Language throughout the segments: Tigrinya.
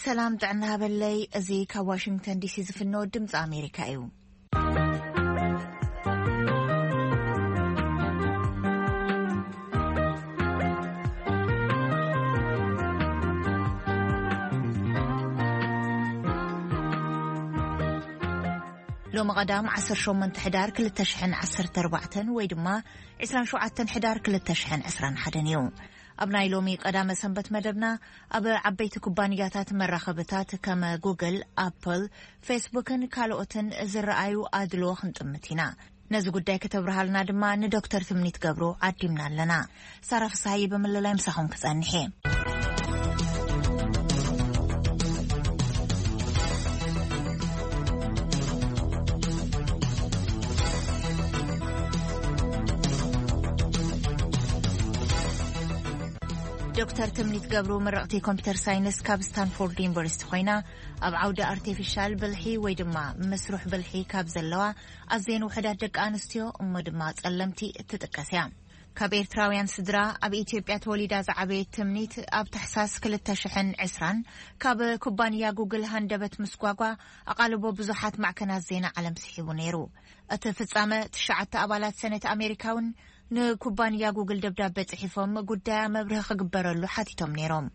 ሰላም ጥዕና ሃበለይ። እዚ ካብ ዋሽንግተን ዲሲ ዝፍኖ ድምፂ ኣሜሪካ እዩ። ሎሚ ቀዳም ዓሰርተ ሸሞንተ ሕዳር ክልተ ሽሕን ዓሰርተ ኣርባዕተን ወይ ድማ ዕስራን ሸውዓተን ሕዳር ክልተ ሽሕን ዕስራን ሓደን እዩ። ኣብ ናይ ሎሚ ቀዳመ ሰንበት መደብና፣ ኣብ ዓበይቲ ኩባንያታት መራኸብታት ከም ጉግል፣ ኣፕል፣ ፌስቡክን ካልኦትን ዝረኣዩ ኣድልዎ ክንጥምት ኢና። ነዚ ጉዳይ ከተብርሃልና ድማ ንዶክተር ትምኒት ገብሩ ዓዲምና ኣለና። ሳራ ፍስሃየ ብምልላይ ምሳኹም ክጸንሕ እየ። ዶክተር ትምኒት ገብሩ ምርቕቲ ኮምፒተር ሳይንስ ካብ ስታንፎርድ ዩኒቨርሲቲ ኮይና፣ ኣብ ዓውዲ ኣርቲፊሻል ብልሒ ወይ ድማ መስሩሕ ብልሒ ካብ ዘለዋ ኣዝየን ውሑዳት ደቂ ኣንስትዮ እሞ ድማ ጸለምቲ እትጥቀስ እያ። ካብ ኤርትራውያን ስድራ ኣብ ኢትዮጵያ ተወሊዳ ዝዓበየት ትምኒት፣ ኣብ ታሕሳስ ክልተ ሽሕን ዕስራን ካብ ኩባንያ ጉግል ሃንደበት ምስጓጓ ኣቓልቦ ብዙሓት ማዕከናት ዜና ዓለም ስሒቡ ነይሩ። እቲ ፍጻመ፣ ትሽዓተ ኣባላት ሰነት ኣሜሪካ እውን ንኩባንያ ጉግል ደብዳበ ጽሒፎም፣ ጉዳያ መብርሂ ክግበረሉ ሓቲቶም ነይሮም።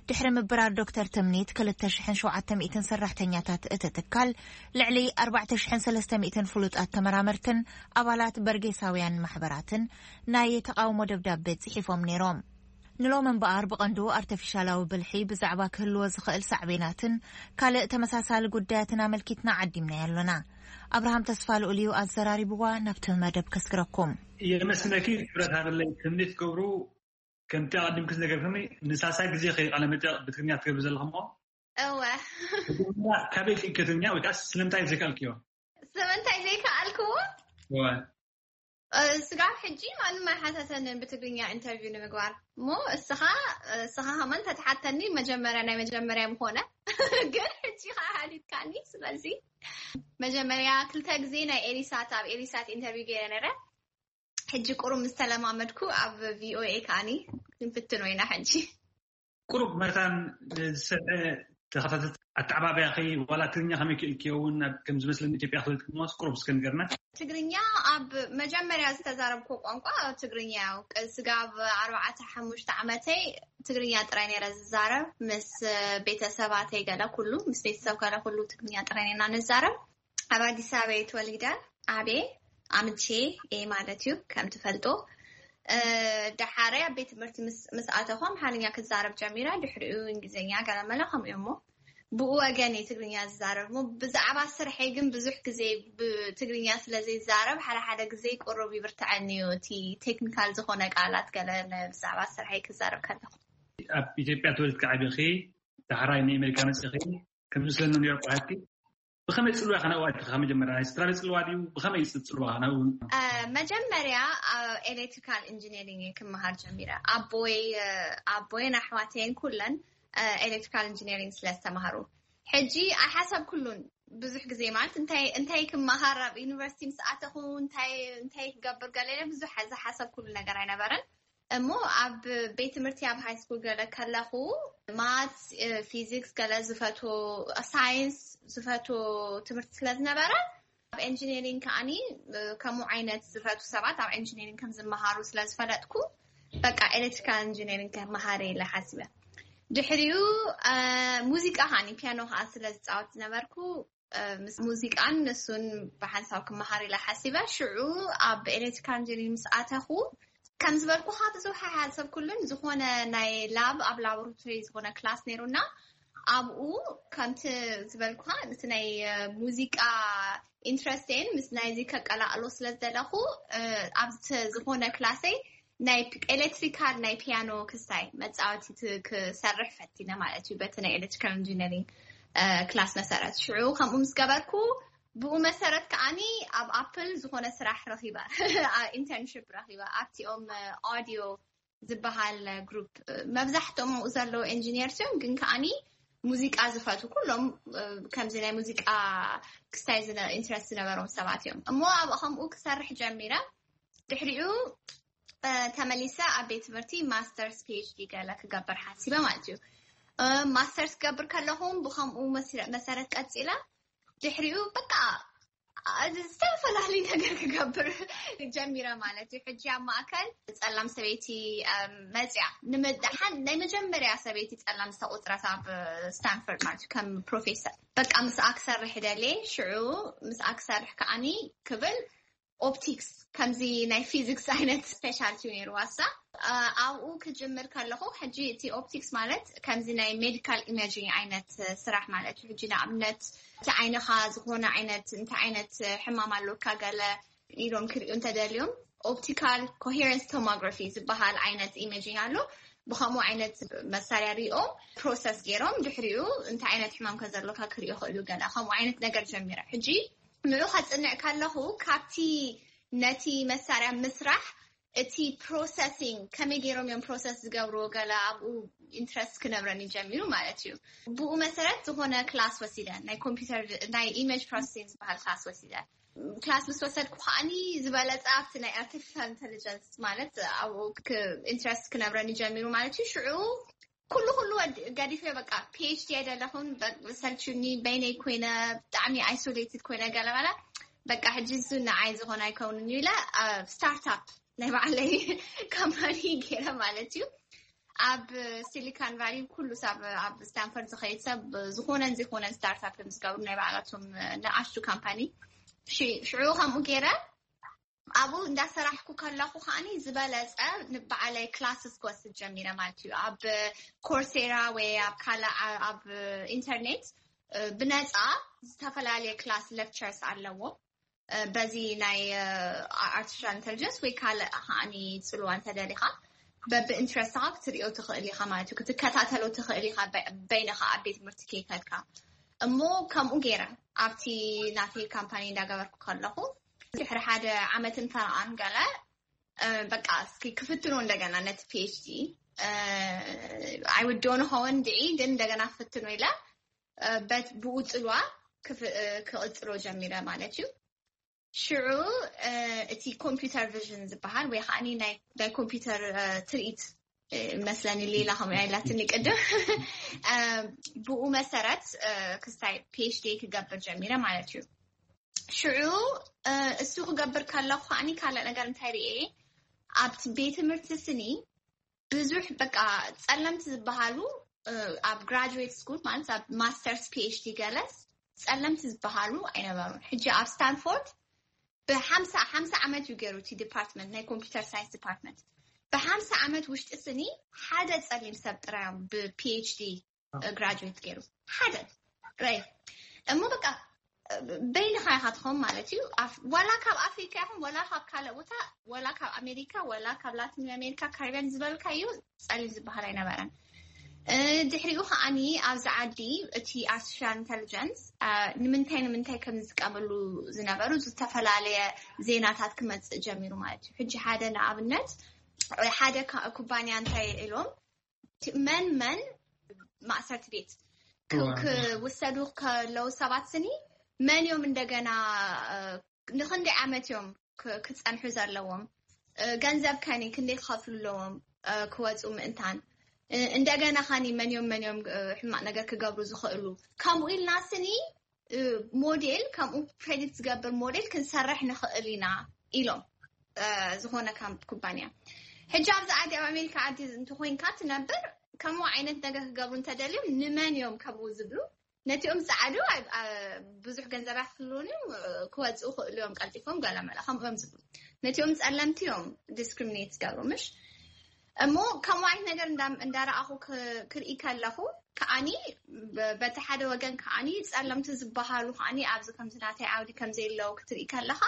ድሕሪ ምብራር ዶክተር ትምኒት፣ ክልተ ሽሕን ሸውዓተ ሚእትን ሰራሕተኛታት እቲ ትካል፣ ልዕሊ ኣርባዕተ ሽሕን ሰለስተ ሚእትን ፍሉጣት ተመራመርትን ኣባላት በርጌሳውያን ማሕበራትን ናይ ተቓውሞ ደብዳበ ጽሒፎም ነይሮም። ንሎም እምበኣር፣ ብቐንዱ ኣርተፊሻላዊ ብልሒ ብዛዕባ ክህልዎ ዝኽእል ሳዕቤናትን ካልእ ተመሳሳሊ ጉዳያትን ኣመልኪትና ዓዲምናዮ ኣሎና። ኣብርሃም ተስፋ ልኡል እዩ ኣዘራሪብዋ። ናብቲ መደብ ከስግረኩም። የመስግነኪ ክብረት ሃበለይ ትምኒት ገብሩ። ከምቲ ኣቐዲምኪ ዝነገርክኒ፣ ንሳልሳይ ግዜ ከይቃለ መጠይቕ ብትግርኛ ትገብሪ ዘለኹ እሞ። እወ። ብትግርኛ ካበይ ክኢልኪ ትግርኛ ወይ ከኣ ስለምንታይ ዘይከኣልክዮ? ስለምንታይ ዘይከኣልክዎ? እወ። እ፣ ስጋብ ሕጂ ማንም ኣይሓተተንን ብትግርኛ ኢንተርቪው ንምግባር። እሞ እስኻ፣ እስኻ ከማን ተትሓተኒ መጀመርያ፣ ናይ መጀመርያ ምኾነ። ግን ሕጂ ኸዓ ሓቲትካኒ። ስለዚ መጀመርያ ክልተ ግዜ ናይ ኤሪሳት፣ ኣብ ኤሪሳት ኢንተርቪው ገይረ ነይረ። ሕጂ ቁሩብ ምስ ተለማመድኩ ኣብ ቪኦኤ ከዓኒ ክንፍትኖ ኢና ሕጂ። ቁሩብ መታን ዝሰምዐ ተኸታተልቲ ኣተዓባብያኺ ዋላ ትግርኛ ከመይ ክኢልክዮ እውን ኣብ ከም ዝመስለኒ ኢትዮጵያ ክልል ክመስ ቁሩብ እስከ ንገርና። ትግርኛ ኣብ መጀመርያ ዝተዛረብኩ ቋንቋ ትግርኛ እዩ። ቅ-፣ ስጋብ ኣርባዕተ ሓሙሽተ ዓመተይ ትግርኛ ጥራይ ነይረ ዝዛረብ። ምስ ቤተሰባተይ ገለ ኩሉ፣ ምስ ቤተሰብ ገለ ኩሉ ትግርኛ ጥራይ ነና ንዛረብ። ኣብ ኣዲስ ኣበባ እየ ተወሊደ ዓብየ፣ ኣምቼ እየ ማለት እዩ፣ ከም ትፈልጦ። እ፣ ደሓረይ ኣብ ቤት ትምህርቲ ምስ፣ ምስ ኣተኹ ኣምሓርኛ ክዛረብ ጀሚረ፣ ድሕሪኡ እንግሊዝኛ ገለመለ ከምኡ እሞ ብኡ ወገን እየ ትግርኛ ዝዛረብ። እሞ ብዛዕባ ስርሐይ ግን ብዙሕ ግዜ ብትግርኛ ስለ ዘይዛረብ፣ ሓደ ሓደ ግዜ ቁሩብ ይብርትዐኒ እዩ፣ እቲ ቴክኒካል ዝኾነ ቃላት ገለ ን-፣ ብዛዕባ ስርሐይ ክዛረብ ከለኹ። ኣብ ኢትዮጵያ ተወሊድኪ ዓቢኺ፣ ዳሕራይ ንኣሜሪካ መጺኺ፣ ከምዚ ስለ ነይሩ ቋንቋ ብኸመይ ጽልዋ ኢኻ ናብኡ ኣቲኻ? መጀመርያ ናይ ስድራ ቤት ጽልዋ ድዩ? ብኸመይ ጽ-፣ ጽልዋ ኢኻ ናብኡ? እ፣ መጀመርያ ኣብ ኤሌክትሪካል ኢንጂነሪንግ እየ ክመሃር ጀሚረ። ኣቦይ፣ እ፣ ኣቦይን ኣሕዋተይን ኩለን፣ እ፣ ኤሌክትሪካል ኢንጂነሪንግ ስለ ዝተማሃሩ። ሕጂ ኣይሓሰብኩሉን ብዙሕ ግዜ፣ ማለት እንታይ፣ እንታይ ክመሃር ኣብ ዩኒቨርሲቲ ምስ ኣተኹ፣ እንታይ፣ እንታይ ክገብር ገለ ኢለ ብዙሕ ዝሓሰብኩሉ ነገር ኣይነበረን። እሞ ኣብ ቤት ትምህርቲ ኣብ ሃይ ስኩል ገለ ከለኹ ማትስ፣ እ፣ ፊዚክስ ገለ ዝፈትዎ፣ ሳይንስ ዝፈትዎ ትምህርቲ ስለ ዝነበረ ኣብ ኤንጂነሪንግ ከዓኒ፣ እ፣ ከምኡ ዓይነት ዝፈትዉ ሰባት ኣብ ኤንጂነሪንግ ከም ዝመሃሩ ስለ ዝፈለጥኩ በቃ ኤሌክትሪካል ኢንጂነሪንግ ከመሃር ኢለ ሓሲበ። ድሕሪኡ፣ እ፣ ሙዚቃ ከዓኒ ፒያኖ ከኣ ስለ ዝጻወት ዝነበርኩ፣ እ፣ ምስ ሙዚቃን ንሱን ብሓንሳብ ክመሃር ኢለ ሓሲበ። ሽዑ ኣብ ኤሌክትሪካል ኢንጂነሪንግ ምስ ኣተኹ፣ ከም ዝበልኩኻ ብዙሕ ኣይሓሰብኩሉን። ዝኾነ ናይ ላብ፣ ኣብ ላቦራቶሪ ዝኾነ ክላስ ነይሩና። ኣብኡ ከምቲ ዝበልኩኻ፣ ነቲ ናይ፣ እ፣ ሙዚቃ ኢንትረስቴን ምስ ናይዚ ከቀላቕሎ ስለ ዝደለኹ፣ እ፣ ኣብቲ ዝኾነ ክላሰይ ናይ ፒ-፣ ኤሌክትሪካል ናይ ፒያኖ ክስታይ መጻወቲት ክሰርሕ ፈቲነ ማለት እዩ፣ በቲ ናይ ኤሌክትሪካል ኢንጂነሪንግ፣ እ፣ ክላስ መሰረት። ሽዑ ከምኡ ምስ ገበርኩ፣ ብኡ መሰረት ከዓኒ ኣብ ኣፕል ዝኾነ ስራሕ ረኺበ፣ አ-፣ ኢንተርንሽፕ ረኺበ። ኣብቲኦም፣ እ፣ ኦዲዮ ዝበሃል ግሩፕ፣ እ፣ መብዛሕትኦም ኣብኡ ዘለዉ ኤንጂኒየርስ እዮም፣ ግን ከዓኒ ሙዚቃ ዝፈትዉ ኩሎም፣ እ፣ ከምዚ ናይ ሙዚቃ ክስታይ ዝነ-፣ ኢንትረስት ዝነበሮም ሰባት እዮም። እሞ ኣብኡ ከምኡ ክሰርሕ ጀሚረ። ድሕሪኡ፣ እ፣ ተመሊሰ ኣብ ቤት ትምህርቲ ማስተርስ ፒ ኤች ዲ ገለ ክገብር ሓሲበ ማለት እዩ። ማስተርስ ክገብር ከለኹም ብከምኡ መሰረት ቀፂለ ድሕሪኡ በቃ ዝተፈላለዩ ነገር ክገብር ጀሚረ ማለት እዩ። ሕጂ ኣብ ማእከል ጸላም ሰበይቲ መጽያ ንምድሓን ናይ መጀመርያ ሰበይቲ ጸላም ዝተቆጽረት ኣብ ስታንፈርድ ማለት እዩ ከም ፕሮፌሰር። በቃ ምስኣ ክሰርሕ ደልየ። ሽዑ ምስኣ ክሰርሕ ከዓኒ ክብል ኦፕቲክስ ከምዚ ናይ ፊዚክስ ዓይነት ስፔሻልቲ ነይሩ ዋሳ ኣብኡ ክጅምር ከለኹ ሕጂ እቲ ኦፕቲክስ ማለት ከምዚ ናይ ሜዲካል ኢሜጂንግ ዓይነት ስራሕ ማለት እዩ። ሕጂ ንኣብነት እቲ ዓይንኻ ዝኾነ ዓይነት እንታይ ዓይነት ሕማም ኣለካ ገለ ኢሎም ክሪኡ እንተደልዮም ኦፕቲካል ኮሄረንስ ቶሞግራፊ ዝበሃል ዓይነት ኢሜጂንግ ኣሎ። ብከምኡ ዓይነት መሳርያ ሪኦም ፕሮሰስ ገይሮም ድሕሪኡ እንታይ ዓይነት ሕማም ከዘሎካ ክሪኦ ክእሉ ገለ ከምኡ ዓይነት ነገር ጀሚረ። ሕጂ ንዑ ከፅንዕ ከለኹ ካብቲ ነቲ መሳርያ ምስራሕ እቲ ፕሮሰሲንግ ከመይ ገይሮም እዮም ፕሮሰስ ዝገብርዎ ገለ ኣብኡ ኢንትረስት ክነብረኒ ጀሚሩ ማለት እዩ። ብኡ መሰረት ዝኾነ ክላስ ወሲደ ናይ ኮምፒውተር ናይ ኢሜጅ ፕሮሰሲንግ ዝበሃል ክላስ ወሲደ። ክላስ ምስ ወሰድኩ ከዓኒ ዝበለፀ ኣብቲ ናይ ኣርቲፊሻል ኢንቴሊጀንስ ማለት ኣብኡ ኢንትረስት ክነብረኒ ጀሚሩ ማለት እዩ። ሽዑ ኩሉ ኩሉ ገዲፈ በቃ ፒኤችዲ ኣይደለኹን ሰልችኒ በይነይ ኮይነ ብጣዕሚ ኣይሶሌትድ ኮይነ ገለመለ በቃ ሕጂ እሱ ንዓይ ዝኾነ ኣይከውንን ኢለ ስታርታፕ ናይ ባዕለይ ካምፓኒ ገይረ ማለት እዩ። ኣብ ሲሊካን ቫሊ ኩሉ ሰብ ኣብ ስታንፈርድ ዝኸይድ ሰብ ዝኾነን ዘይኮነን ስታርታፕ እዮም ዝገብሩ ናይ ባዕላቶም ንኣሽቱ ካምፓኒ። ሽዑ ከምኡ ገይረ ኣብኡ እንዳሰራሕኩ ከለኹ ከዓኒ ዝበለፀ ንባዕለይ ክላስስ ክወስድ ጀሚረ ማለት እዩ። ኣብ ኮርሴራ ወይ ኣብ ካልእ ኣብ ኢንተርኔት ብነፃ ዝተፈላለየ ክላስ ሌክቸርስ ኣለዎ። በዚ ናይ ኣርቲፊሻል ኢንተሊጀንስ ወይ ካልእ ከዓኒ ፅልዋ እንተደሊኻ በብኢንትረስትኻ ክትሪኦ ትኽእል ኢኻ ማለት እዩ። ክትከታተሎ ትኽእል ኢኻ በይንኻ ኣብ ቤት ትምህርቲ ከይከድካ። እሞ ከምኡ ገይረ ኣብቲ ናተይ ካምፓኒ እንዳገበርኩ ከለኹ ድሕሪ ሓደ ዓመትን ፈረቓን ገለ በቃ እስኪ ክፍትኖ እንደገና ነቲ ፒኤችዲ ኣይውድኦ ንኸውን ድዒ ግን እንደገና ክፍትኖ ኢለ ብኡ ፅልዋ ክቕፅሎ ጀሚረ ማለት እዩ። ሽዑ እቲ ኮምፒውተር ቪዥን ዝበሃል ወይ ከዓ ናይ ኮምፒውተር ትርኢት መስለኒ ሌላ ከምኡ ኢላትኒ ቅድም ብኡ መሰረት ክስታይ ፒኤችዲ ክገብር ጀሚረ ማለት እዩ። ሽዑ እሱ ክገብር ከለኩ ከዓኒ ካልእ ነገር እንታይ ርኤ ኣብቲ ቤት ትምህርቲ ስኒ ብዙሕ በቃ ፀለምቲ ዝበሃሉ ኣብ ግራጁዌት ስኩል ማለት ኣብ ማስተርስ ፒኤችዲ ገለስ ፀለምቲ ዝበሃሉ ኣይነበሩን። ሕጂ ኣብ ስታንፎርድ ብሓምሳ ሓምሳ ዓመት እዩ ገይሩ እቲ ዲፓርትመንት ናይ ኮምፒውተር ሳይንስ ዲፓርትመንት ብሓምሳ ዓመት ውሽጢ ስኒ ሓደ ፀሊም ሰብ ጥራዮም ብፒኤችዲ ግራጁዌት ገይሩ ሓደ ራይ እሞ በቃ በይንኻ ኢኻ ትኸውን ማለት እዩ። ዋላ ካብ ኣፍሪካ ይኹን ዋላ ካብ ካልእ ቦታ ዋላ ካብ ኣሜሪካ ዋላ ካብ ላቲን ኣሜሪካ ካሪቢያን ዝበልካ እዩ ፀሊም ዝበሃል ኣይነበረን። ድሕሪኡ ከዓኒ ኣብዚ ዓዲ እቲ ኣርቲፊሻል ኢንተሊጀንስ ንምንታይ ንምንታይ ከም ዝጥቀመሉ ዝነበሩ ዝተፈላለየ ዜናታት ክመፅእ ጀሚሩ ማለት እዩ። ሕጂ ሓደ ንኣብነት ሓደ ኩባንያ እንታይ ኢሎም መን መን ማእሰርቲ ቤት ክውሰዱ ከለዉ ሰባት ስኒ መን እዮም እንደገና ንክንደይ ዓመት እዮም ክፀንሑ ዘለዎም ገንዘብ ከኒ ክንደይ ክኸፍሉ ኣለዎም ክወፁ ምእንታን እንደገና ከኒ መን እዮም መን እዮም ሕማቅ ነገር ክገብሩ ዝኽእሉ ከምኡ ኢልና ስኒ ሞዴል ከምኡ ፕሬዲክት ዝገብር ሞዴል ክንሰርሕ ንኽእል ኢና ኢሎም ዝኾነ ኩባንያ ሕጂ ኣብዚ ዓዲ ኣብ ኣሜሪካ ዓዲ እንተኮይንካ ትነብር ከምኡ ዓይነት ነገር ክገብሩ እንተደልዮም ንመን እዮም ከምኡ ዝብሉ ነቲኦም ፃዕዱ ብዙሕ ገንዘብ ኣይክፍልውን እዮም ክወፅኡ ክእሉ እዮም ቀልጢፎም ገለመለ ከምኡ እዮም ዝብሉ ነቲኦም ፀለምቲ እዮም ዲስክሪሚኔት ዝገብሩ ምሽ እሞ ከምኡ ዓይነት ነገር እንዳረኣኹ ክርኢ ከለኹ ከዓኒ በቲ ሓደ ወገን ከዓኒ ፀለምቲ ዝበሃሉ ከዓኒ ኣብዚ ከምዚ ናተይ ዓውዲ ከምዘየለዉ ክትርኢ ከለኻ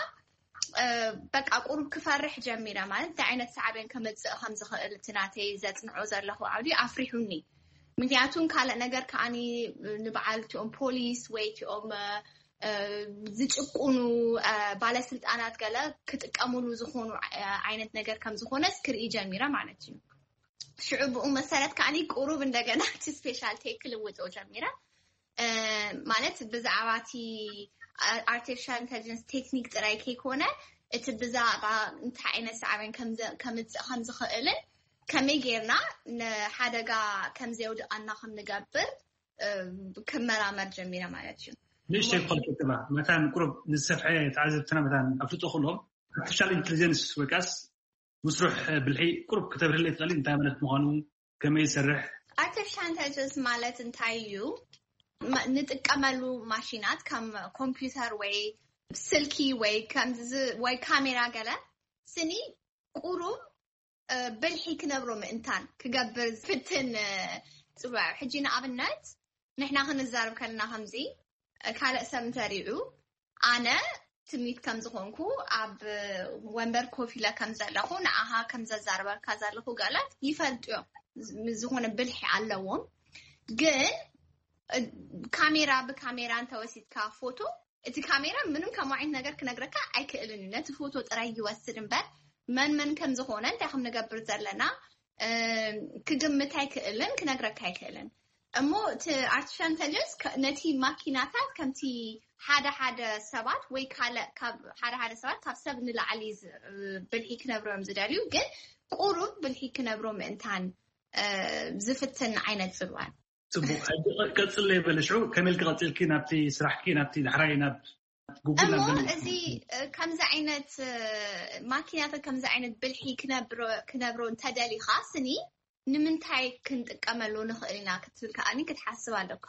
በቃ ቁሩብ ክፈርሕ ጀሚረ ማለት እንታይ ዓይነት ሳዕቤን ከምፅእ ከም ዝኽእል እቲ ናተይ ዘፅንዖ ዘለኹ ዓውዲ ኣፍሪሑኒ ምክንያቱ ካልእ ነገር ከዓኒ ንበዓል እቲኦም ፖሊስ ወይ እቲኦም ዝጭቁኑ ባለስልጣናት ገለ ክጥቀምሉ ዝኾኑ ዓይነት ነገር ከም ዝኾነስ ክርኢ ጀሚረ ማለት እዩ። ሽዑ ብኡ መሰረት ከዓኒ ቁሩብ እንደገና እቲ ስፔሻልቲ ክልውጦ ጀሚረ ማለት ብዛዕባ እቲ ኣርቲፊሻል ኢንተሊጀንስ ቴክኒክ ጥራይ ከይኮነ እቲ ብዛዕባ እንታይ ዓይነት ሳዕቤን ከምፅእ ከም ዝኽእልን ከመይ ጌርና ንሓደጋ ከም ዘየውድኣና ከም ንገብር ክመራመር ጀሚረ ማለት እዩ። ንእሽተይ ክኾልከ ተባ መታን ቁሩብ ንዝሰፍሐ ተዓዘብትና መታን ኣፍልጦ ክእሎም ኣርቲፊሻል ኢንቴሊጀንስ ወይ ከዓስ ምስሩሕ ብልሒ ቁሩብ ክተብርህለይ ትኽእሊ እንታይ ማለት ምዃኑ፣ ከመይ ይሰርሕ? ኣርቲፊሻል ኢንቴሊጀንስ ማለት እንታይ እዩ? ንጥቀመሉ ማሽናት ከም ኮምፒውተር ወይ ስልኪ ወይ ወይ ካሜራ ገለ ስኒ ቁሩብ ብልሒ ክነብሮ ምእንታን ክገብር ዝፍትን ጽዋዕ። ሕጂ ንኣብነት ንሕና ክንዛረብ ከለና ከምዚ ካልእ ሰብ እንተሪዑ ኣነ ትምኒት ከም ዝኾንኩ ኣብ ወንበር ኮፍ ኢለ ከም ዘለኹ ንኣኻ ከም ዘዛርበካ ዘለኹ ገላት ይፈልጡ እዮም። ዝኾነ ብልሒ ኣለዎም። ግን ካሜራ ብካሜራ እንተወሲድካ ፎቶ እቲ ካሜራ ምንም ከም ዓይነት ነገር ክነግረካ ኣይክእልን እዩ። ነቲ ፎቶ ጥራይ ይወስድ እምበር መን መን ከም ዝኾነ እንታይ ከም ንገብር ዘለና ክግምት ኣይክእልን ክነግረካ ኣይክእልን። እሞ እቲ ኣርቲፊሻል ኢንተሊጀንስ ነቲ ማኪናታት ከምቲ ሓደ ሓደ ሰባት ወይ ካልእ ካብ ሓደ ሓደ ሰባት ካብ ሰብ ንላዕሊ ብልሒ ክነብሮም ዝደልዩ ግን ቁሩብ ብልሒ ክነብሮ ምእንታን ዝፍትን ዓይነት ጽልዋን ጽቡቕ። ሕጂ ቀጽለ ይበለ ሽዑ ከመይ ኢልኪ ቀጺልኪ ናብቲ ስራሕኪ ናብቲ ዳሕራይ ናብ ጉግል እሞ እዚ ከምዚ ዓይነት ማኪናታት ከምዚ ዓይነት ብልሒ ክነብሮ እንተደሊኻ ስኒ ንምንታይ ክንጥቀመሉ ንኽእል ኢና ክትብል ከኣኒ ክትሓስብ ኣለካ።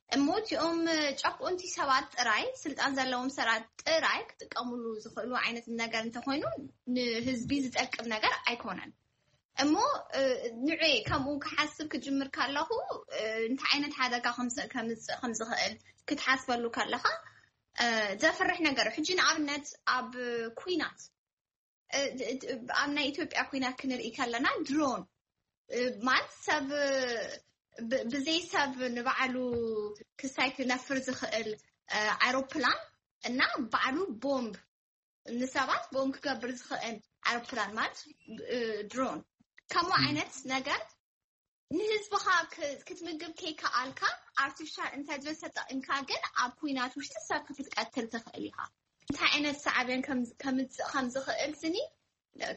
እሞ እቲኦም ጨቁንቲ ሰባት ጥራይ ስልጣን ዘለዎም ሰባት ጥራይ ክጥቀምሉ ዝኽእሉ ዓይነት ነገር እንተኮይኑ ንህዝቢ ዝጠቅም ነገር ኣይኮነን። እሞ ንዑ ከምኡ ክሓስብ ክጅምር ካለኹ እንታይ ዓይነት ሓደጋ ከምፅእ ከም ዝኽእል ክትሓስበሉ ከለኻ ዘፍርሕ ነገር። ሕጂ ንኣብነት ኣብ ኩናት ኣብ ናይ ኢትዮጵያ ኩናት ክንርኢ ከለና ድሮን ማለት ሰብ ብዘይ ሰብ ንባዕሉ ክሳይ ክነፍር ዝኽእል ኣይሮፕላን እና ባዕሉ ቦምብ ንሰባት ቦምብ ክገብር ዝኽእል ኣይሮፕላን ማለት ድሮን ከምኡ ዓይነት ነገር ንህዝብኻ ክትምግብ ከይከኣልካ ኣርቲፊሻል ኢንተሊጀንስ ተጠቒምካ ግን ኣብ ኩናት ውሽጢ ሰብ ክትቀትል ትኽእል ኢኻ። እንታይ ዓይነት ሳዕቤን ከምፅእ ከም ዝኽእል ስኒ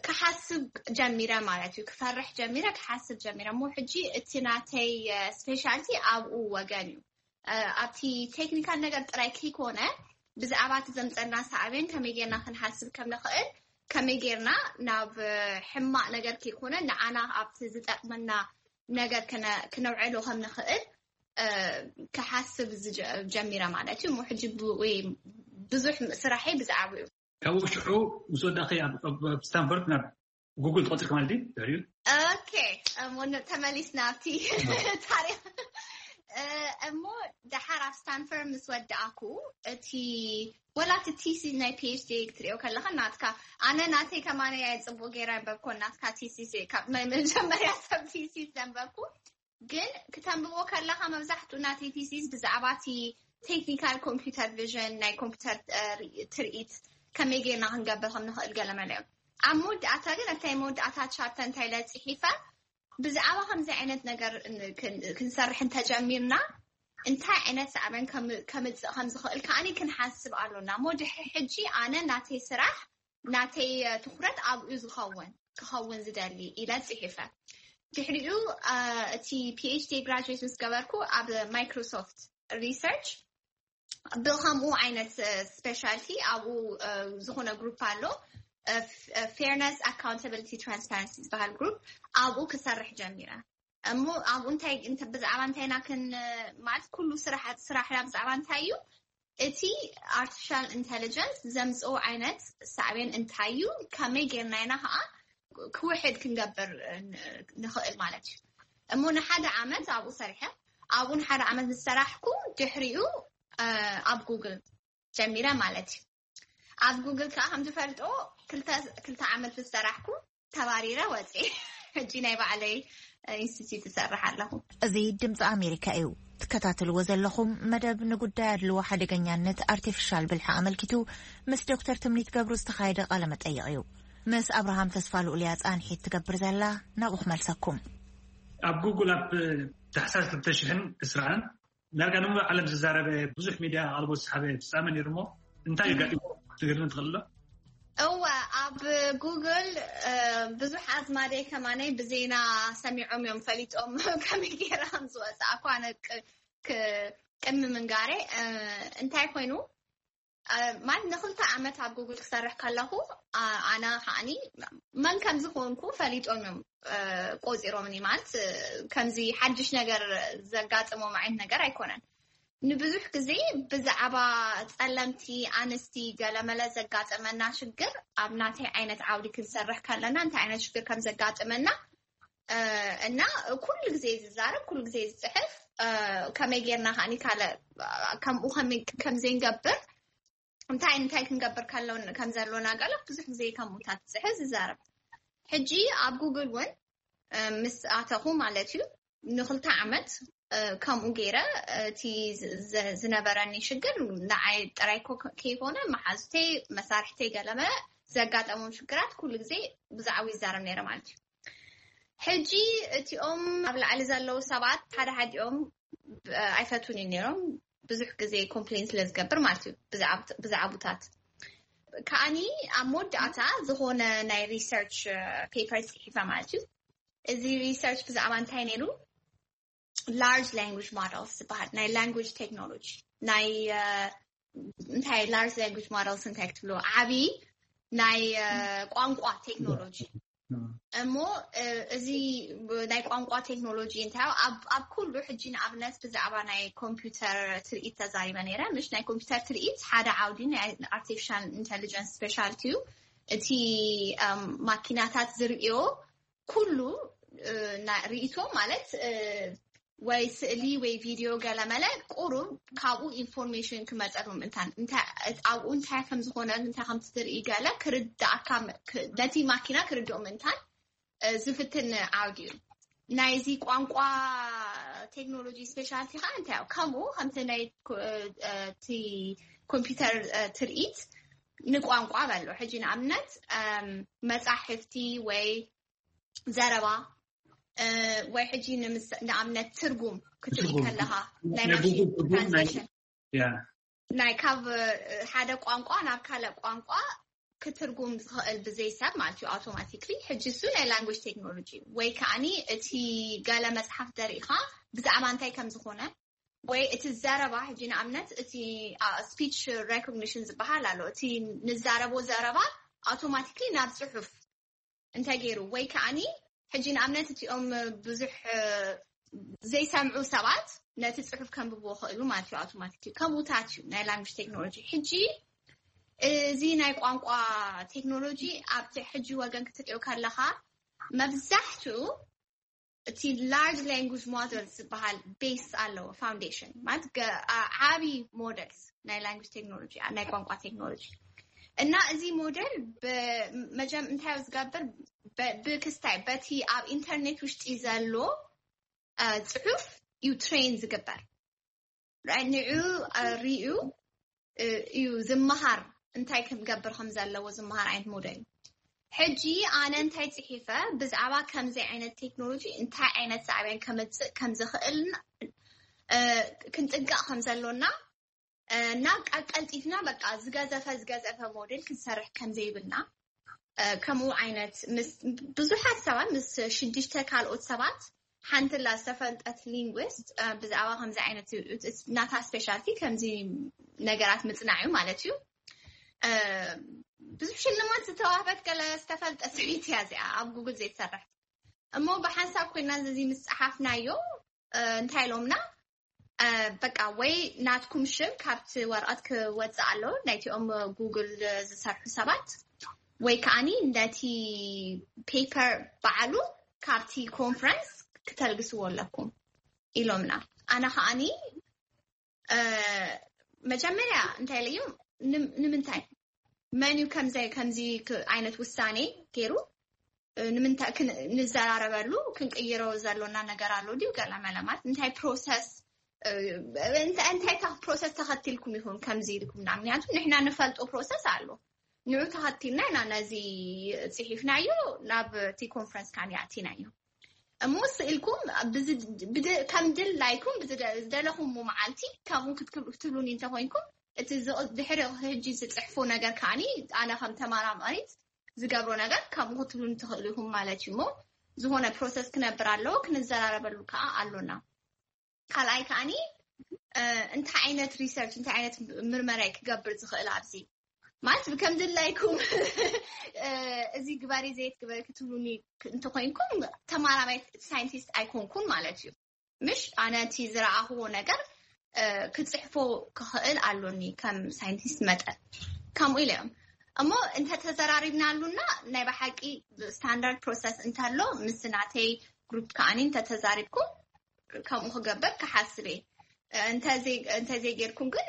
ክሓስብ ጀሚረ ማለት እዩ። ክፈርሕ ጀሚረ፣ ክሓስብ ጀሚረ። እሞ ሕጂ እቲ ናተይ ስፔሻልቲ ኣብኡ ወገን እዩ። ኣብቲ ቴክኒካል ነገር ጥራይ ከይኮነ ብዛዕባ እቲ ዘምፀና ሳዕቤን ከመይ ጌርና ክንሓስብ ከም ንኽእል ከመይ ጌርና ናብ ሕማቕ ነገር ከይኮነ ንዓና ኣብቲ ዝጠቕመና ነገር ክነውዕሎ ከም ንኽእል ክሓስብ ጀሚረ ማለት እዩ። ሕጂ ብዙሕ ስራሐይ ብዛዕባ እዩ። ካብኡ ሽዑ ምስ ወዳእኺ ኣብ ስታንፎርድ ናብ ጉግል ትቐፅልኪ ማለት እዩ። ኦኬ፣ ተመሊስና ኣብቲ ታሪክ። እሞ ደሓር ኣብ ስታንፈርድ ምስ ወዳእኩ እቲ ወላ እቲ ቲሲስ ናይ ፒኤችዲ ክትሪኦ ከለካ ናትካ ኣነ ናተይ ከማነ እየ ፅቡቅ ገይረ ኣንበብኮ ናትካ ቲሲስ ካብ ናይ መጀመርያ ሰብ ቲሲስ ዘንበብኩ ግን ክተንብቦ ከለካ መብዛሕትኡ ናተይ ቲሲስ ብዛዕባ እቲ ቴክኒካል ኮምፒውተር ቪዥን ናይ ኮምፒውተር ትርኢት ከመይ ጌርና ክንገብር ከም ንኽእል ገለመለ እዮም ኣብ መወዳእታ ግን ኣብታይ መወዳእታ ቻርተ እንታይ ኢለ ፅሒፈ ብዛዕባ ከምዚ ዓይነት ነገር ክንሰርሕ እንተጀሚርና እንታይ ዓይነት ሳዕበን ከምፅእ ከም ዝኽእል ከዓኒ ክንሓስብ ኣሎና እሞ ድሕሪ ሕጂ ኣነ ናተይ ስራሕ ናተይ ትኩረት ኣብኡ ዝኸውን ክኸውን ዝደሊ ኢለ ፅሒፈ ድሕሪኡ እቲ ፒኤችዲ ግራጅዌት ምስ ገበርኩ ኣብ ማይክሮሶፍት ሪሰርች ብከምኡ ዓይነት ስፔሻልቲ ኣብኡ ዝኾነ ግሩፕ ኣሎ fairness accountability transparency ዝበሃል ግሩፕ ኣብኡ ክሰርሕ ጀሚረ እሞ ኣብኡ እንታይ ብዛዕባ እንታይ ኢና ክን ማለት ኩሉ ስራሕ ስራሕና ብዛዕባ እንታይ እዩ እቲ ኣርቲፊሻል ኢንቴሊጀንስ ዘምፅኦ ዓይነት ሳዕቤን እንታይ እዩ ከመይ ጌርና ኢና ከዓ ክውሕድ ክንገብር ንኽእል ማለት እዩ እሞ ንሓደ ዓመት ኣብኡ ሰሪሐ ኣብኡ ንሓደ ዓመት ምስ ሰራሕኩ ድሕሪኡ ኣብ ጉግል ጀሚረ ማለት እዩ ኣብ ጉግል ከዓ ከም ትፈልጦ ክልተ ዓመት ምስ ሰራሕኩ ተባሪረ ወፅኤ ሕጂ ናይ ባዕለይ ኢንስቲትዩት እሰርሕ ኣለኹ። እዚ ድምፂ ኣሜሪካ እዩ። ትከታተልዎ ዘለኹም መደብ ንጉዳይ ኣድልዎ ሓደገኛነት ኣርቲፊሻል ብልሒ ኣመልኪቱ ምስ ዶክተር ትምኒት ገብሩ ዝተኻየደ ቃለ መጠይቕ እዩ። ምስ ኣብርሃም ተስፋ ልኡል እያ ፃንሒት ትገብር ዘላ ናብኡ ክመልሰኩም። ኣብ ጉግል ኣብ ታሕሳስ ክልተ ሽሕን ዕስራን ዳርጋ ንሙሉእ ዓለም ዝዛረበ ብዙሕ ሚድያ ኣቓልቦ ዝሰሓበ ፍፃመ ነይሩ እሞ እንታይ ኣጋጢሙ ክትነግርኒ ትኽእል ዶ? እወ፣ ኣብ ጉግል ብዙሕ ኣዝማደይ ከማነይ ብዜና ሰሚዖም እዮም ፈሊጦም ከመይ ገይረ ከም ዝወፅኣ እኳ ቅድሚ ምንጋረ። እንታይ ኮይኑ ማለት ንክልተ ዓመት ኣብ ጉግል ክሰርሕ ከለኹ ኣና ከዓኒ መን ከም ዝኾንኩ ፈሊጦም እዮም ቆፂሮምኒ። ማለት ከምዚ ሓድሽ ነገር ዘጋጥሞም ዓይነት ነገር ኣይኮነን። ንብዙሕ ግዜ ብዛዕባ ፀለምቲ ኣንስቲ ገለመለ ዘጋጠመና ሽግር ኣብ ናተይ ዓይነት ዓውዲ ክንሰርሕ ከለና እንታይ ዓይነት ሽግር ከም ዘጋጥመና እና ኩሉ ግዜ ዝዛረብ ኩሉ ግዜ ዝፅሕፍ ከመይ ጌርና ከዓኒ ካልእ ከምኡ ከም ዘይንገብር እንታይ እንታይ ክንገብር ከም ዘሎና ገለ ብዙሕ ግዜ ከምኡታት ዝፅሕፍ ዝዛረብ። ሕጂ ኣብ ጉግል እውን ምስ ኣተኹ ማለት እዩ ንክልተ ዓመት ከምኡ ገይረ እቲ ዝነበረኒ ሽግር ንዓይ ጥራይ ከይኮነ መሓዙተይ መሳርሕተይ ገለመ ዘጋጠሞም ሽግራት ኩሉ ግዜ ብዛዕባ ይዛረብ ነይረ ማለት እዩ። ሕጂ እቲኦም ኣብ ላዕሊ ዘለዉ ሰባት ሓደ ሓዲኦም ኣይፈቱን እዩ ነይሮም። ብዙሕ ግዜ ኮምፕሌን ስለ ዝገብር ማለት እዩ ብዛዕቡታት ከዓኒ ኣብ መወዳእታ ዝኾነ ናይ ሪሰርች ፔፐር ፅሒፈ ማለት እዩ። እዚ ሪሰርች ብዛዕባ እንታይ ነይሩ? ላርጅ ላንጉጅ ሞደልስ ዝበሃል ናይ ላንጉጅ ቴክኖሎጂ ናይ እንታይ ላርጅ ላንጉጅ ሞደልስ እንታይ ክትብሎ ዓብዪ ናይ ቋንቋ ቴክኖሎጂ እሞ እዚ ናይ ቋንቋ ቴክኖሎጂ እንታይ ኣብ ኩሉ ሕጂ ንኣብነት ብዛዕባ ናይ ኮምፒውተር ትርኢት ተዛሪበ ነይረ። ምሽ ናይ ኮምፒውተር ትርኢት ሓደ ዓውዲ ናይ ኣርቲፊሻል ኢንቴሊጀንስ ስፔሻልቲ እዩ። እቲ ማኪናታት ዝርእዮ ኩሉ ርእቶ ማለት ወይ ስእሊ ወይ ቪድዮ ገለመለ ቁሩብ ካብኡ ኢንፎርሜሽን ክመፀሉ ምእንታን ኣብኡ እንታይ ከም ዝኾነ እንታይ ከም ትርኢ ገለ ክርዳእካ ነቲ ማኪና ክርድኦ ምእንታን ዝፍትን ዓውዲ እዩ። ናይዚ ቋንቋ ቴክኖሎጂ ስፔሻልቲ ከዓ እንታይ ከምኡ ከምቲ ናይ ኮምፒውተር ትርኢት ንቋንቋ በሎ ሕጂ ንኣብነት መፃሕፍቲ ወይ ዘረባ ወይ ሕጂ ንኣብነት ትርጉም ክትርኢ ከለካ ናይ ማሽን ትራንስሌሽን ናይ ካብ ሓደ ቋንቋ ናብ ካልእ ቋንቋ ክትርጉም ዝኽእል ብዘይ ሰብ ማለት እዩ ኣውቶማቲክሊ። ሕጂ እሱ ናይ ላንጉጅ ቴክኖሎጂ ወይ ከዓኒ እቲ ገለ መፅሓፍ ዘርእኻ ብዛዕባ እንታይ ከም ዝኾነ ወይ እቲ ዘረባ ሕጂ ንኣብነት እቲ ስፒች ሬኮግኒሽን ዝበሃል ኣሎ። እቲ ንዛረቦ ዘረባ ኣውቶማቲክሊ ናብ ፅሑፍ እንተገይሩ ወይ ከዓኒ ሕጂ ንኣብነት እቲኦም ብዙሕ ዘይሰምዑ ሰባት ነቲ ፅሑፍ ከንብብዎ ክእሉ ማለት እዩ ኣውቶማቲክ ከምኡታት እዩ ናይ ላንጉጅ ቴክኖሎጂ። ሕጂ እዚ ናይ ቋንቋ ቴክኖሎጂ ኣብቲ ሕጂ ወገን ክትሪኦ ከለካ መብዛሕትኡ እቲ ላርጅ ላንጉጅ ሞደል ዝበሃል ቤስ ኣለዎ ፋውንዴሽን ማለት ዓብዪ ሞደልስ ናይ ላንጉጅ ቴክኖሎጂ ናይ ቋንቋ ቴክኖሎጂ እና እዚ ሞደል መጀም እንታይ ዝገብር ብክስታይ በቲ ኣብ ኢንተርኔት ውሽጢ ዘሎ ፅሑፍ እዩ ትሬን ዝግበር። ንዑ ሪኡ እዩ ዝመሃር እንታይ ክገብር ከም ዘለዎ ዝመሃር ዓይነት ሞዴል። ሕጂ ኣነ እንታይ ፅሒፈ ብዛዕባ ከምዚ ዓይነት ቴክኖሎጂ እንታይ ዓይነት ሳዕቤን ከምፅእ ከም ዝኽእል ክንጥንቀቕ ከም ዘሎና እና ቀልጢፍና በቃ ዝገዘፈ ዝገዘፈ ሞዴል ክንሰርሕ ከም ዘይብልና ከምኡ ዓይነት ብዙሓት ሰባት ምስ ሽዱሽተ ካልኦት ሰባት ሓንቲ ላ ዝተፈልጠት ሊንግዊስት ብዛዕባ ከምዚ ዓይነት ናታ ስፔሻልቲ ከምዚ ነገራት ምፅናዕ እዩ ማለት እዩ። ብዙሕ ሽልማት ዝተዋህበት ገለ ዝተፈልጠ ሰበይቲ እያ እዚኣ ኣብ ጉግል ዘይትሰርሕ እሞ ብሓንሳብ ኮይና እዚ ምስ ፀሓፍናዮ እንታይ ኢሎምና በቃ ወይ ናትኩም ሽም ካብቲ ወረቐት ክወፅእ ኣሎ ናይቲኦም ጉግል ዝሰርሑ ሰባት ወይ ከዓኒ ነቲ ፔፐር በዓሉ ካብቲ ኮንፈረንስ ክተልግስዎ ኣለኩም ኢሎምና። ኣነ ከዓኒ መጀመርያ እንታይ ኢለዮም ንምንታይ መን እዩ ከምዚ ከምዚ ዓይነት ውሳኔ ገይሩ ንምንታይ ንዘራረበሉ ክንቅይሮ ዘሎና ነገር ኣሎ ድዩ ገለ መለማት እንታይ ፕሮሰስ እንታይ ታ ፕሮሰስ ተኸቲልኩም ይኹን ከምዚ ኢልኩም ና ምክንያቱ ንሕና ንፈልጦ ፕሮሰስ ኣሎ ንዑ ተኸቲልና ኢና ነዚ ፅሒፍናዮ ናብ እቲ ኮንፈረንስ ካን ኣቲናዮ እሞ ስእልኩም ከም ድላይኩም ዝደለኹም መዓልቲ ከምኡ ክትብሉኒ እንተኮይንኩም እቲ ድሕሪ ሕጂ ዝፅሕፎ ነገር ከዓኒ ኣነ ከም ተመራማሪት ዝገብሮ ነገር ከምኡ ክትብሉ ትኽእሉ ኢኹም ማለት እዩ። እሞ ዝኾነ ፕሮሰስ ክነብር ኣለዎ፣ ክንዘራረበሉ ከዓ ኣሎና። ካልኣይ ከዓኒ እንታይ ዓይነት ሪሰርች እንታይ ዓይነት ምርመራ ክገብር ዝኽእል ኣብዚ ማለት ብከም ድላይኩም እዚ ግበሪ ዘይት ግበሪ ክትብሉኒ እንተኮይንኩም ተማራማይ ሳይንቲስት ኣይኮንኩን ማለት እዩ። ምሽ ኣነ እቲ ዝረኣኽዎ ነገር ክፅሕፎ ክኽእል ኣሎኒ ከም ሳይንቲስት መጠን። ከምኡ ኢለ እዮም እሞ እንተተዘራሪብናሉና ናይ ብሓቂ ስታንዳርድ ፕሮሰስ እንተሎ ምስ ናተይ ግሩፕ ከዓኒ እንተተዛሪብኩም ከምኡ ክገብር ክሓስብ እየ። እንተዘይጌርኩም ግን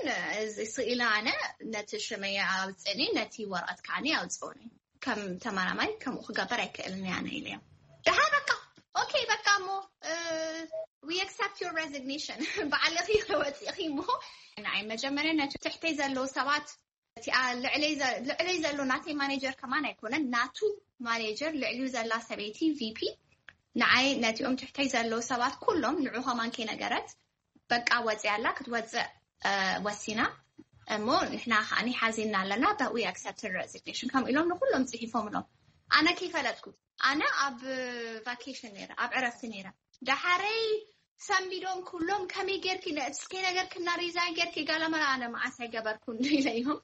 ስኢለ ኣነ ነቲ ሽመይ ኣውፅእኒ ነቲ ወረቐት ከዓኒ ኣውፅእኒ ከም ተመራማይ ከምኡ ክገብር ኣይክእልን ኣነ ኢለ እዮም። ደሓ በቃ ኦኬ በቃ እሞ we accept your resignation በዓልኺ ወፂእኺ እሞ ንዓይ መጀመርያ ነቲ ትሕተይ ዘለዉ ሰባት እቲኣ ልዕለይ ዘሎ ናተይ ማኔጀር ከማን ኣይኮነን ናቱ ማኔጀር ልዕሊኡ ዘላ ሰበይቲ ቪፒ ንዓይ ነቲኦም ትሕተይ ዘለዉ ሰባት ኩሎም ንዑ ከማን ከይነገረት በቃ ወፂ ኣላ ክትወፅእ ወሲና እሞ ንሕና ከዓኒ ሓዚና ኣለና but we accept resignation ከም ኢሎም ንኩሎም ፅሒፎም ኢሎም ኣነ ከይፈለጥኩ ኣነ ኣብ ቫኬሽን ነረ ኣብ ዕረፍቲ ነረ ደሓረይ ሰንቢዶም ኩሎም ከመይ ጌርኪ እስከይ ነገር ክና ሪዛይን ጌርኪ ጋላመላ ኣነ መዓስ ኣይገበርኩን ኢለዮም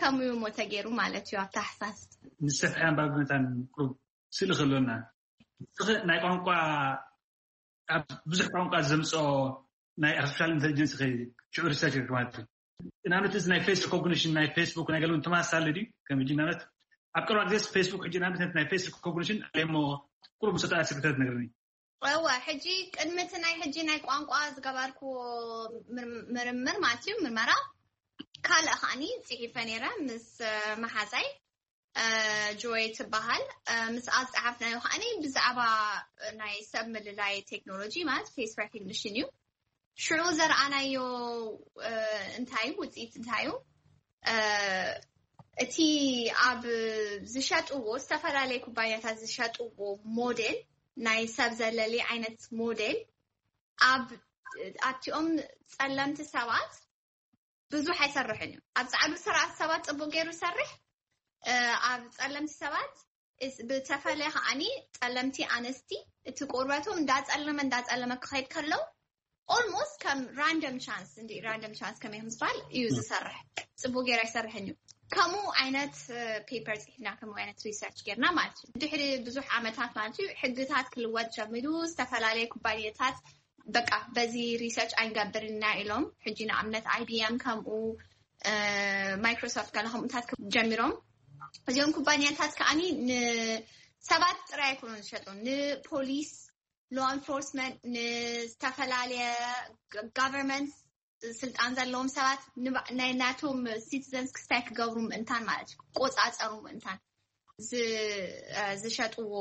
ከምኡ እሞ ተገይሩ ማለት እዩ ኣብ ታሕሳስ ንሰፍሐ ኣንባቢ መታን ቁሩብ ስእሊ ከሎና ናይ ቋንቋ ኣብ ብዙሕ ቋንቋ ዘምፅኦ ናይ ኣርቲፊሻል ኢንቴሊጀንስ ሽዑ ሪሰርች ማለት እዩ ንኣብነት እዚ ናይ ፌስ ሪኮግኒሽን ናይ ፌስቡክ ናይ ገለውን ተመሳሳሊ ድዩ ከም ሕጂ ንኣብነት ኣብ ቀረባ ግዜ ፌስቡክ ሕጂ ንኣብነት ናይ ፌስ ሪኮግኒሽን ኣለሞ ቁሩብ ምሰጣ ስክተት ነግርኒ እወ ሕጂ ቅድሚ እቲ ናይ ሕጂ ናይ ቋንቋ ዝገበርኩዎ ምርምር ማለት እዩ ምርመራ ካልእ ከዓኒ ፅሒፈ ነይረ ምስ መሓዛይ ጆይ ትበሃል ምስ ኣፀሓፍናዮ ከዓኒ ብዛዕባ ናይ ሰብ ምልላይ ቴክኖሎጂ ማለት ፌስ ሬኮግኒሽን እዩ ሽዑ ዘርኣናዮ እንታይ ውፅኢት እንታይ እዩ እቲ ኣብ ዝሸጥዎ ዝተፈላለየ ኩባንያታት ዝሸጥዎ ሞዴል ናይ ሰብ ዘለሊ ዓይነት ሞዴል ኣብ ኣብቲኦም ፀለምቲ ሰባት ብዙሕ ኣይሰርሕን እዩ ኣብ ፃዕዱ ስርዓት ሰባት ፅቡቅ ገይሩ ይሰርሕ ኣብ ፀለምቲ ሰባት ብተፈለ ከዓኒ ፀለምቲ ኣነስቲ እቲ ቁርበቶም እንዳፀለመ እንዳፀለመ ክኸይድ ከለው almost ከም random chance እንዲ random chance ከመይ ከም ዝበሃል እዩ ዝሰርሕ ፅቡቅ ገይሩ ኣይሰርሕን እዩ ከምኡ ዓይነት ፔፐር ፅሒፍና ከምኡ ዓይነት ሪሰርች ጌርና ማለት እዩ ድሕሪ ብዙሕ ዓመታት ማለት እዩ ሕግታት ክልወጥ ጀሚሩ ዝተፈላለየ ኩባንያታት በቃ በዚ ሪሰርች ኣይንገብርና ኢሎም ሕጂ ንኣብነት IBM ከምኡ ማይክሮሶፍት ገለ ከምኡታት ጀሚሮም እዚኦም ኩባንያታት ከዓኒ ንሰባት ጥራይ ኣይኮኑን ዝሸጡ ንፖሊስ law enforcement ንዝተፈላለየ government ስልጣን ዘለዎም ሰባት ናይ ናቶም citizens ክስታይ ክገብሩ ምእንታን ማለት እዩ ክቆፃፀሩ ምእንታን ዝሸጥዎ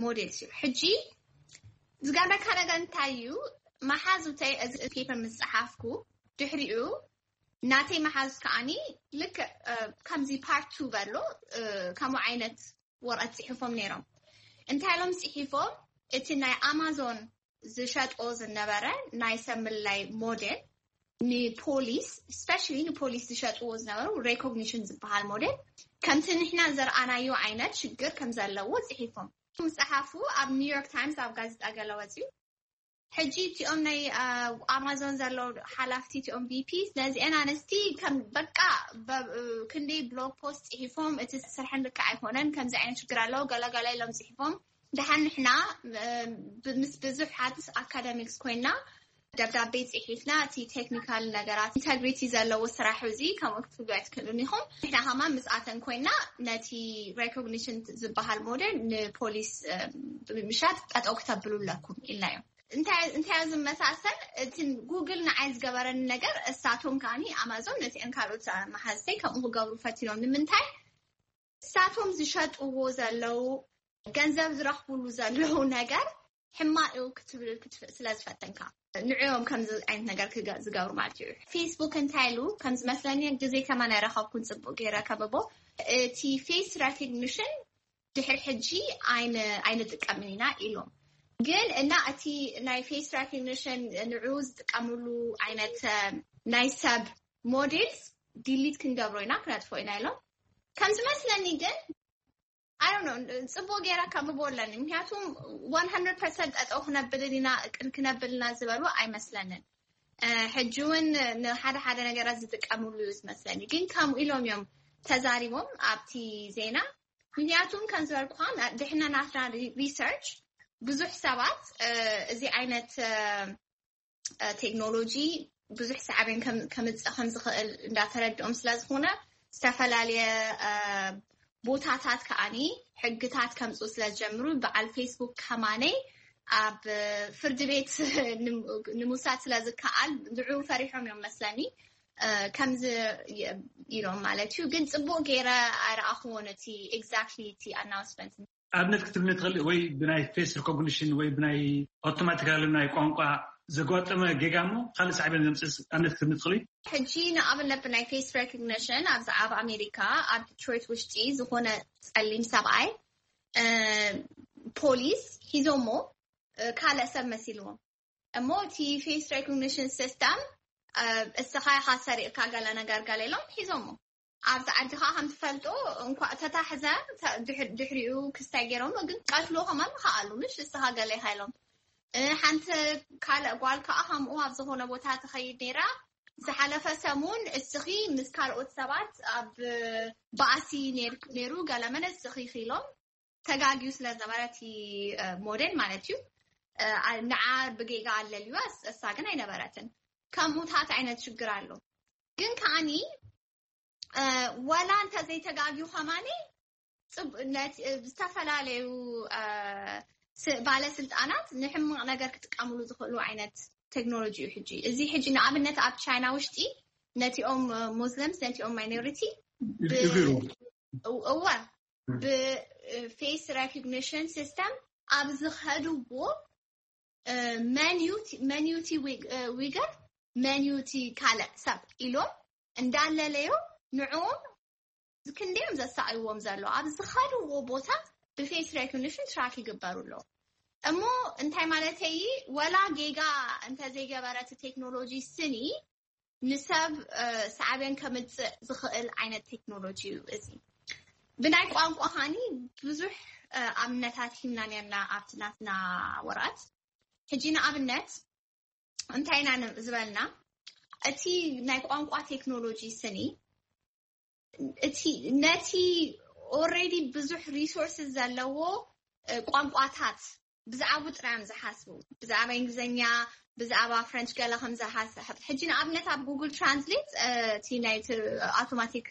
ሞዴል እዩ ሕጂ ዝገርመካ ነገር እንታይ እዩ መሓዙተይ እዚ ፔፐር ምስ ፀሓፍኩ ድሕሪኡ ናተይ መሓዙት ከዓኒ ልክ ከምዚ ፓርት ቱ በሎ ከምኡ ዓይነት ወረቀት ፅሒፎም ነይሮም እንታይ ኢሎም ፅሒፎም እቲ ናይ ኣማዞን ዝሸጥዎ ዝነበረ ናይ ሰብ ምልላይ ሞዴል ንፖሊስ especially ንፖሊስ ዝሸጥዎ ዝነበሩ ሬኮግኒሽን ዝበሃል ሞዴል ከምቲ ንሕና ዘርኣናዮ ዓይነት ሽግር ከም ዘለዎ ፅሒፎም ዝፀሓፉ ኣብ ኒውዮርክ ታይምስ ኣብ ጋዜጣ ገለ ወፅዩ ሕጂ እቲኦም ናይ ኣማዞን ዘለዉ ሓላፍቲ እቲኦም VP ነዚአን ኣንስቲ ከም በቃ ክንደይ blog post ፅሒፎም እቲ ስርሐን ልክዕ ኣይኮነን ከምዚ ዓይነት ሽግር ኣለዎ ገለገለ ኢሎም ፅሒፎም ደሓን ንሕና ምስ ብዙሓት ኣካደሚክስ ኮይና ደብዳቤ ፅሒፍና እቲ ቴክኒካል ነገራት ኢንተግሪቲ ዘለዎ ስራሕ እዚ ከምኡ ክትብሉ ኣይትክእሉን ኢኹም ንሕና ከማ ምስኣተን ኮይና ነቲ ሬኮግኒሽን ዝበሃል ሞዴል ንፖሊስ ብምሻጥ ጠጠው ክተብሉ ኣለኩም ኢልናዮም እንታይ ዝመሳሰል እቲ ጉግል ንዓይ ዝገበረኒ ነገር እሳቶም ከዓኒ ኣማዞን ነቲአን ካልኦት መሓዝተይ ከምኡ ክገብሩ ፈቲኖም ንምንታይ እሳቶም ዝሸጥዎ ዘለዉ ገንዘብ ዝረኽብሉ ዘለዉ ነገር ሕማቅ እዩ ክትብል ክትፍእ ስለ ዝፈተንካ ንዕዮም ከምዚ ዓይነት ነገር ዝገብሩ ማለት እዩ ፌስቡክ እንታይ ኢሉ ከም ዝመስለኒ ግዜ ከማን ኣይረኸብኩን ፅቡቅ ገይረ ከብቦ እቲ ፌስ ሬኮግኒሽን ድሕሪ ሕጂ ኣይንጥቀምን ኢና ኢሎም ግን እና እቲ ናይ ፌስ ሬኮግኒሽን ንዑ ዝጥቀምሉ ዓይነት ናይ ሰብ ሞዴልስ ዲሊት ክንገብሮ ኢና፣ ክነጥፎ ኢና ኢሎም። ከም ዝመስለኒ ግን ኣይ ዶንት ኖ፣ ጽቡቅ ገይራ ከንብቦ ኣለኒ። ምክንያቱም one hundred percent ጠጠው ክነብልን ኢና፣ ቅን ክነብል ኢና ዝበሉ ኣይመስለንን። ሕጂ እውን ንሓደ ሓደ ነገራት ዝጥቀምሉ እዩ ዝመስለኒ። ግን ከምኡ ኢሎም እዮም ተዛሪቦም ኣብቲ ዜና። ምክንያቱም ከም ዝበልኩኻ፣ ድሕና ናትና ሪሰርች ብዙሕ ሰባት እዚ ዓይነት ቴክኖሎጂ ብዙሕ ሳዕቤን ከምፅእ ከምዝኽእል እንዳተረድኦም ስለዝኾነ፣ ዝተፈላለየ ቦታታት ከዓኒ ሕግታት ከምፅኡ ስለዝጀምሩ፣ በዓል ፌስቡክ ከማነይ ኣብ ፍርዲ ቤት ንምውሳድ ስለዝከኣል፣ ንዑ ፈሪሖም እዮም መስለኒ ከምዚ ኢሎም ማለት እዩ። ግን ፅቡቅ ገይረ ኣይረኣኽዎን እቲ exactly እቲ ኣናውንስመንት። ኣብነት ክትብኒ ትኽእል ወይ ብናይ ፌስ ሪኮግኒሽን ወይ ብናይ ኣውቶማቲካሊ ናይ ቋንቋ ዘጓጠመ ጌጋ እሞ ካልእ ሳዕቤን ዘምፅእስ ኣብነት ክትብኒ ትኽእል? ሕጂ ንኣብነት ብናይ ፌስ ሬኮግኒሽን ኣብዚ ኣብ ኣሜሪካ ኣብ ዲትሮይት ውሽጢ ዝኾነ ፀሊም ሰብኣይ ፖሊስ ሒዞሞ ካልእ ሰብ መሲልዎም እሞ እቲ ፌስ ሬኮግኒሽን ሲስተም እስኻ ኢኻ ሰሪቕካ ገለ ነገር ገለ ኢሎም ሒዞሞ። ኣብዚ ዓዲ ከዓ ከም ትፈልጡ እንኳ ተታሕዘ ድሕሪኡ ክስታይ ገይሮም ግን ቀትሎ ከማን ከኣሉ ምሽ እስኻ ገለ ኢኻ ኢሎም። ሓንቲ ካልእ ጓል ከዓ ከምኡ ኣብ ዝኾነ ቦታ ትኸይድ ነይራ። ዝሓለፈ ሰሙን እስኺ ምስ ካልኦት ሰባት ኣብ ባእሲ ነይሩ ገለመለ እስኺ ኢሎም ተጋግዩ ስለዝነበረ እቲ ሞዴል ማለት እዩ ንዓ ብጌጋ ኣለልዋ እሳ ግን ኣይነበረትን። ከምኡታት ዓይነት ሽግር ኣሎ። ግን ከዓኒ ዋላ እንተዘይተጋግዩ ከማኒ ዝተፈላለዩ ባለስልጣናት ንሕማቕ ነገር ክጥቀምሉ ዝኽእሉ ዓይነት ቴክኖሎጂ እዩ። ሕጂ እዚ ሕጂ ንኣብነት ኣብ ቻይና ውሽጢ ነቲኦም ሙስሊምስ ነቲኦም ማይኖሪቲ እወ ብፌስ ሬኮግኒሽን ሲስተም ኣብ ዝኸድዎ መን ዩቲ ዊገር መን ዩቲ ካልእ ሰብ ኢሎም እንዳለለዮ ንዕኦም ክንደዮም ዘሳዕይዎም ዘሎ ኣብ ዝኸድዎ ቦታ ብፌስ ሬኮግኒሽን ትራክ ይግበሩ ኣለዉ። እሞ እንታይ ማለተይ ወላ ጌጋ እንተዘይገበረ እቲ ቴክኖሎጂ ስኒ ንሰብ ሳዕቤን ከምፅእ ዝኽእል ዓይነት ቴክኖሎጂ እዩ እዚ። ብናይ ቋንቋ ኻኒ ብዙሕ ኣብነታት ሂምና ነርና ኣብቲ ናትና ወረቐት። ሕጂ ንኣብነት እንታይ ኢና ዝበልና እቲ ናይ ቋንቋ ቴክኖሎጂ ስኒ እቲ ነቲ ኦልሬዲ ብዙሕ ሪሶርስ ዘለዎ ቋንቋታት ብዛዕባኡ ጥራይ እዮም ዝሓስቡ። ብዛዕባ እንግሊዝኛ ብዛዕባ ፍረንች ገለ ከም ዝሓስብ ሕጂ ንኣብነት ኣብ ጉግል ትራንስሌት እቲ ናይ ኣውቶማቲክ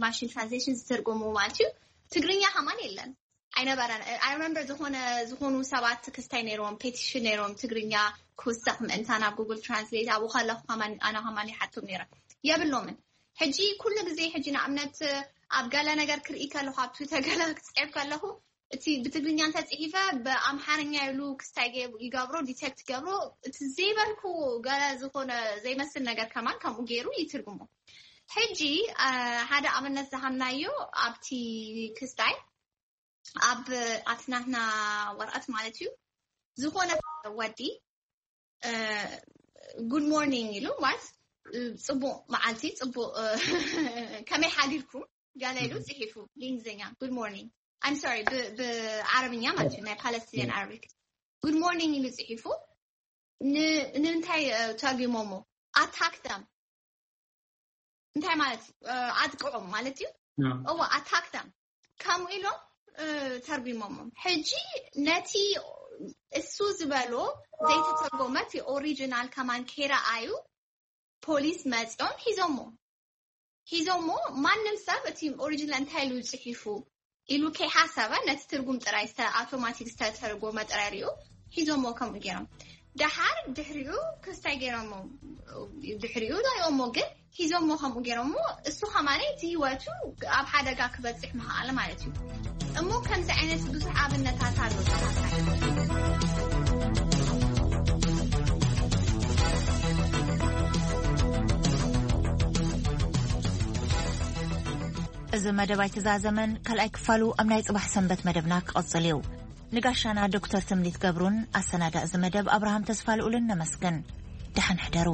ማሽን ትራንስሌሽን ዝትርጉሙ ማለት እዩ ትግርኛ ከማን የለን ኣይነበረን። I remember ዝኾነ ዝኾኑ ሰባት ክስታይ ነይሮም ፔቲሽን ነይሮም ትግርኛ ክውሰኽ ምእንታን ኣብ ጉግል ትራንስሌት ኣብኡ ከለኹ ከማን ኣነ ከማን ይሓቶም ነይረ የብሎምን። ሕጂ ኩሉ ግዜ ሕጂ ንኣብነት ኣብ ገለ ነገር ክርኢ ከለኹ ኣብ ትዊተር ገለ ክፅዕብ ከለኹ እቲ ብትግርኛ እንተፅሒፈ ብኣምሓርኛ ኢሉ ክስታይ ይገብሮ ዲቴክት ይገብሮ እቲ ዘይበልኩ ገለ ዝኾነ ዘይመስል ነገር ከማን ከምኡ ገይሩ ይትርጉሞ። ሕጂ ሓደ ኣብነት ዝሃምናዮ ኣብቲ ክስታይ ኣብ ኣትናትና ወረቐት ማለት እዩ ዝኾነ ወዲ ጉድ ሞርኒንግ ኢሉ ማለት ፅቡቅ መዓልቲ ፅቡቅ ከመይ ሓዲርኩም ጋላ ኢሉ ፅሒፉ ብእንግሊዝኛ ጉድ ሞርኒንግ I'm sorry ብዓረብኛ ማለት እዩ ናይ ፓለስቲንያን ዓረቢክ ጉድ ሞርኒንግ ኢሉ ፅሒፉ ንምንታይ ተርጉሞሞ ኣታክ them እንታይ ማለት ኣጥቅዖም ማለት እዩ እዋ ኣታክ them ከምኡ ኢሎም ተርጉሞሞም ሕጂ ነቲ እሱ ዝበሎ ዘይተተርጎመ እቲ ኦሪጂናል ከማን ከይረኣዩ ፖሊስ መፂኦም ሒዞሞ ሒዞሞ ማንም ሰብ እቲ ኦሪጂናል እንታይ ኢሉ ፅሒፉ ኢሉ ከይሓሰበ ነቲ ትርጉም ጥራይ ኣውቶማቲክ ዝተተርጎመ ጥራይ ሪኡ ሒዞሞ ከምኡ ገይሮም ደሓር ድሕሪኡ ክስታይ ገይሮሞ ድሕሪኡ ዳይኦሞ ግን ሒዞሞ ከምኡ ገይሮሞ እሱ ከማለይ እቲ ህይወቱ ኣብ ሓደጋ ክበፅሕ ምኽኣለ ማለት እዩ እሞ ከምዚ ዓይነት ብዙሕ ኣብነታት ኣሎ እዚ መደብ ኣይተዛዘመን ካልኣይ ክፋሉ ኣብ ናይ ፅባሕ ሰንበት መደብና ክቐፅል እዩ ንጋሻና ዶክተር ትምኒት ገብሩን ኣሰናዳ እዚ መደብ ኣብርሃም ተስፋ ልኡልን ነመስግን ደሓን ሕደሩ